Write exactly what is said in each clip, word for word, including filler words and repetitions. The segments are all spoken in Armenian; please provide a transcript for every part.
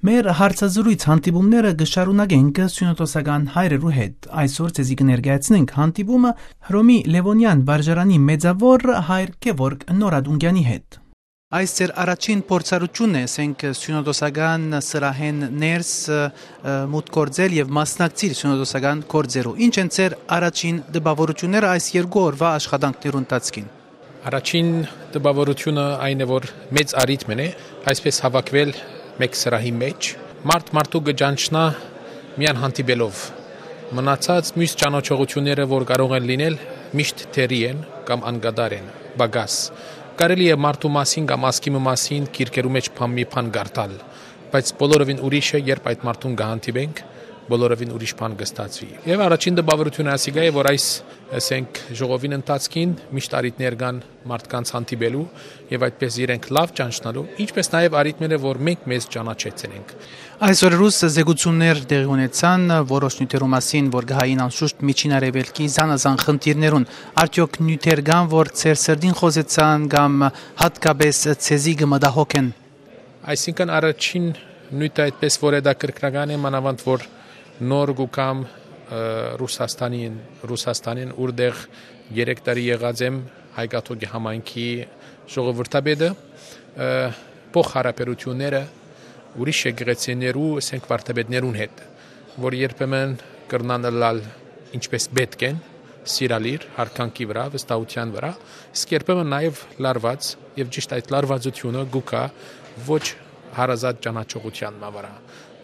Մեր հարցազրույց հանդիպումները կշարունակենք սյունատոսական հայրերու հետ։ Այսօր ցեզի կներկայացնենք հանդիպումը Հռոմի Լևոնյան վարժարանի մեծավոր հայր Գևորգ Նորադունգյանի հետ։ Այս ձեր առաջին փորձառությունն է, ասենք սյունատոսական սրահեն ներս մուտք գործել եւ մասնակցել սյունատոսական գործերու։ Ինչ են ձեր առաջին դպավորությունները այս երկու օրվա աշխատանքներու ընթացքին։ Առաջին դպավորությունը այն է, որ մեծ արիթմն է, այսպես հավաքվել մեկ սրահի մեջ, մարդ մարդու գճանչնա միան հանդիպելով։ Մնացած մյուս ճանաչողությունները, որ կարող են լինել, միշտ թերի են կամ անգադար են, բագաս։ Կարելի է մարդու մասին կամ ասկիմի մասին գիրքերու մեջ մի բան գարտալ, բայց բոլորովին ուրիշ է, երբ այդ մարդուն կհանդիպենք, բոլորովին ուրիշ բան կստացվի։ Եվ առաջին դպավորությունը ասիկա է, որ այս ասենք ժողովին ընթացքին միշտ արիթներ կան մարդկանց հանդիպելու եւ այդպես իրենք լավ ճանչնալու, ինչպես նաեւ արիթները, որ մենք մեզ ճանաչեցնենք։ Այսօր ռուս զեկուցումներ տեղի ունեցան որոշ նյութերու մասին, որ գահային անշուշտ միջին արևելքի զանազան խնդիրներուն, արդյոք նյութեր կան, որ ցեր սրդին խոզեցան կամ հատկապես ցեզի կմտահոգ են։ Այսինքն առաջին նյութը այդպես որ է դա կրկնական է, մանավանդ որ նոր գուկամ Ռուսաստանին, Ռուսաստանին ուրդեղ երեք տարի եղած եմ հայկաթոկի համայնքի ժողովրդաբեդը, փոխհարաբերությունները ուրիշ եկեղեցիներու, ասենք վարդապետներուն հետ, որ երբեմն կրնան լալ ինչպես պետք են, սիրալիր, հարկանքի վրա, վստահության վրա, իսկ երբեմն նաև լարված, եւ ճիշտ այդ լարվածությունը գուկա ոչ հարազատ ճանաչողության վրա,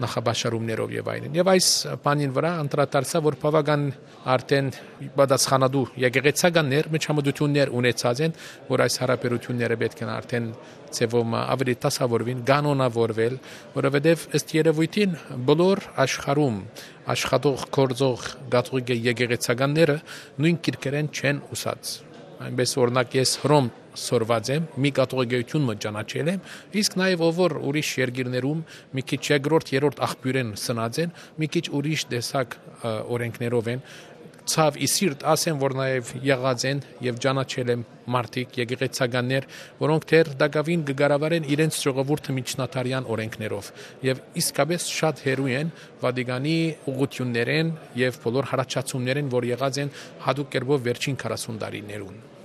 նախաբաշարումներով եւ այլն։ Եվ այս բանին վրա անդրադարձա, որ բավական արդեն պատասխանատու եկեղեցականներ միջամտություններ ունեցած են, որ այս հարաբերությունները պետք են արդեն ծեվում ավելի տասավորվին, կանոնավորվել, որովհետեւ ըստ երևույթին բոլոր աշխարհում աշխատող գործող գաթողիկ եկեղեցականները նույն քիրքերեն չեն ուսած։ Այնպես օրինակ ես Հռոմ սորված եմ, մի կաթողիկություն մը ճանաչել եմ, իսկ նաև ով ուրիշ երկիրներում մի քիչ երկրորդ, երրորդ աղբյուրեն սնած են, մի քիչ ուրիշ տեսակ օրենքներով են, ցավ իսիրտ ասեմ, որ նաև եղած են եւ ճանաչել եմ մարդիկ, եկեղեցականներ, որոնք դեռ դակավին կգարավարեն իրենց ժողովուրդը միջնատարյան օրենքներով եւ իսկապես շատ հերույ են Վատիկանի ուղղություններեն եւ բոլոր հարաճացումներեն, որ եղած են հadoop կերպով վերջին քառասուն տարիներուն։